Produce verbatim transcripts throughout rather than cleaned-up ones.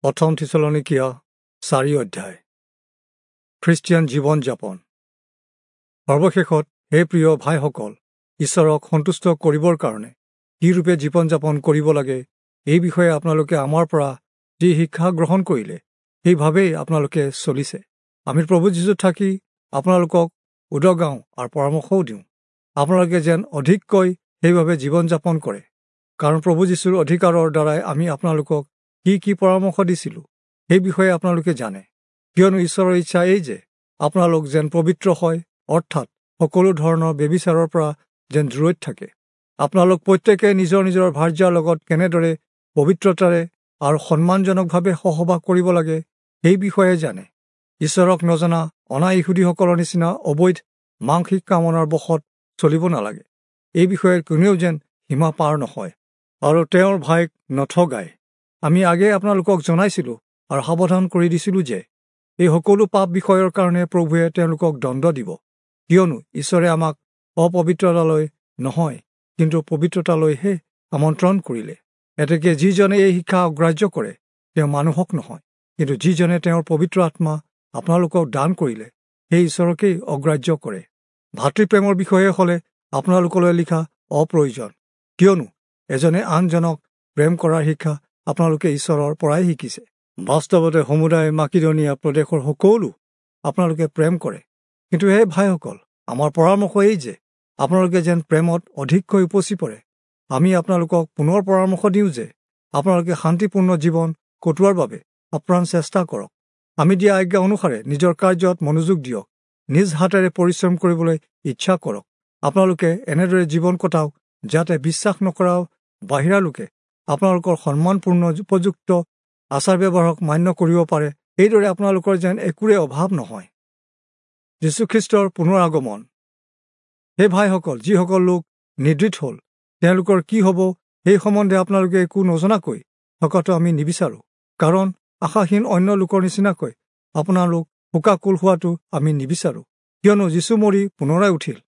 প্ৰথম থিচলনীকীয়া চাৰি অধ্যায়। খ্ৰীষ্টিয়ান জীৱন যাপন। সৰ্বশেষত হে প্ৰিয় ভাইসকল, ঈশ্বৰক সন্তুষ্ট কৰিবৰ কাৰণে কি ৰূপে জীৱন যাপন কৰিব লাগে এই বিষয়ে আপোনালোকে আমাৰ পৰা যি শিক্ষা গ্ৰহণ কৰিলে সেইভাৱেই আপোনালোকে চলিছে। আমি প্ৰভু যীশুত থাকি আপোনালোকক উদগাওঁ আৰু পৰামৰ্শও দিওঁ, আপোনালোকে যেন অধিককৈ সেইভাৱে জীৱন যাপন কৰে। কাৰণ প্ৰভু যীশুৰ অধিকাৰৰ দ্বাৰাই আমি আপোনালোকক কি কি পৰামৰ্শ দিছিলোঁ সেই বিষয়ে আপোনালোকে জানে। কিয়নো ঈশ্বৰৰ ইচ্ছা এই যে আপোনালোক যেন পবিত্ৰ হয়, অৰ্থাৎ সকলো ধৰণৰ ব্যভিচাৰৰ পৰা যেন দূৰৈত থাকে। আপোনালোক প্ৰত্যেকে নিজৰ নিজৰ ভাৰ্যাৰ লগত কেনেদৰে পবিত্ৰতাৰে আৰু সন্মানজনকভাৱে সহবাস কৰিব লাগে সেই বিষয়ে জানে। ঈশ্বৰক নজনা অনা ইহুদীসকলৰ নিচিনা অবৈধ মাংসিক কামনাৰ বশত চলিব নালাগে। এই বিষয়ে কোনেও যেন সীমা পাৰ নহয় আৰু তেওঁৰ ভাইক নঠগায়। আমি আগেয়ে আপোনালোকক জনাইছিলোঁ আৰু সাৱধান কৰি দিছিলোঁ যে এই সকলো পাপ বিষয়ৰ কাৰণে প্ৰভুৱে তেওঁলোকক দণ্ড দিব। কিয়নো ঈশ্বৰে আমাক অপবিত্ৰতালৈ নহয়, কিন্তু পবিত্ৰতালৈহে আমন্ত্ৰণ কৰিলে। এতেকে যিজনে এই শিক্ষা অগ্ৰাহ্য কৰে তেওঁ মানুহক নহয়, কিন্তু যিজনে তেওঁৰ পবিত্ৰ আত্মা আপোনালোকক দান কৰিলে সেই ঈশ্বৰকেই অগ্ৰাহ্য কৰে। ভাতৃপ্ৰেমৰ বিষয়ে হ'লে আপোনালোকলৈ লিখা অপ্ৰয়োজন, কিয়নো এজনে আনজনক প্ৰেম কৰাৰ শিক্ষা আপোনালোকে ঈশ্বৰৰ পৰাই শিকিছে। বাস্তৱতে সমুদায় মাকিদনীয়া প্ৰদেশৰ সকলো আপোনালোকে প্ৰেম কৰে। কিন্তু হে ভাইসকল, আমাৰ পৰামৰ্শ এই যে আপোনালোকে যেন প্ৰেমত অধিককৈ উপচি পৰে। আমি আপোনালোকক পুনৰ পৰামৰ্শ দিওঁ যে আপোনালোকে শান্তিপূৰ্ণ জীৱন কটোৱাৰ বাবে আপ্ৰাণ চেষ্টা কৰক। আমি দিয়া আজ্ঞা অনুসাৰে নিজৰ কাৰ্যত মনোযোগ দিয়ক, নিজ হাতেৰে পৰিশ্ৰম কৰিবলৈ ইচ্ছা কৰক। আপোনালোকে এনেদৰে জীৱন কটাওক যাতে বিশ্বাস নকৰা বাহিৰা লোকে আপোনালোকৰ সন্মানপূৰ্ণ উপযুক্ত আচাৰ ব্যৱহাৰক মান্য কৰিব পাৰে। এইদৰে আপোনালোকৰ যেন একোৰে অভাৱ নহয়। যীশুখ্ৰীষ্টৰ পুনৰ আগমন। হে ভাইসকল, যিসকল লোক নিদ্ৰিত হ'ল তেওঁলোকৰ কি হ'ব সেই সম্বন্ধে আপোনালোকে একো নজনাকৈ থকাটো আমি নিবিচাৰোঁ। কাৰণ আশাহীন অন্য লোকৰ নিচিনাকৈ আপোনালোক শোকাকুল হোৱাটো আমি নিবিচাৰোঁ। কিয়নো যীশু মৰি পুনৰাই উঠিল,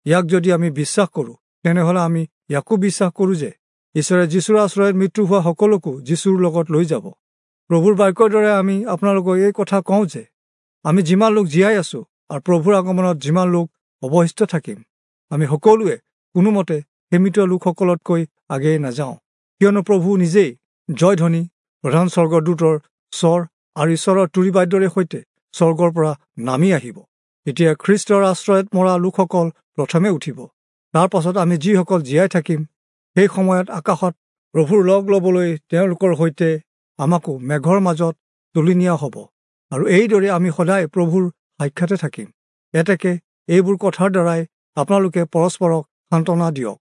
ইয়াক যদি আমি বিশ্বাস কৰোঁ তেনেহ'লে আমি ইয়াকো বিশ্বাস কৰোঁ যে ঈশ্বৰে যীশুৰ আশ্ৰয়ত মৃত্যু হোৱা সকলোকো যীশুৰ লগত লৈ যাব। প্ৰভুৰ বাক্যৰ দৰে আমি আপোনালোকক এই কথা কওঁ যে আমি যিমান লোক জীয়াই আছোঁ আৰু প্ৰভুৰ আগমনত যিমান লোক অৱশিষ্ট থাকিম, আমি সকলোৱে কোনোমতে সীমিত লোকসকলতকৈ আগেয়ে নাযাওঁ। কিয়নো প্ৰভু নিজেই জয়ধ্বনি, প্ৰধান স্বৰ্গদূতৰ স্বৰ আৰু ঈশ্বৰৰ তুৰীবাদ্যৰে সৈতে স্বৰ্গৰ পৰা নামি আহিব। তেতিয়া খ্ৰীষ্টৰ আশ্ৰয়ত মৰা লোকসকল প্ৰথমে উঠিব। তাৰ পাছত আমি যিসকল জীয়াই থাকিম সেই সময়ত আকাশত প্ৰভুৰ লগ ল'বলৈ তেওঁলোকৰ সৈতে আমাকো মেঘৰ মাজত তুলি নিয়া হ'ব, আৰু এইদৰে আমি সদায় প্ৰভুৰ সাক্ষাতে থাকিম। এতেকে এইবোৰ কথাৰ দ্বাৰাই আপোনালোকে পৰস্পৰক সান্তনা দিয়ক।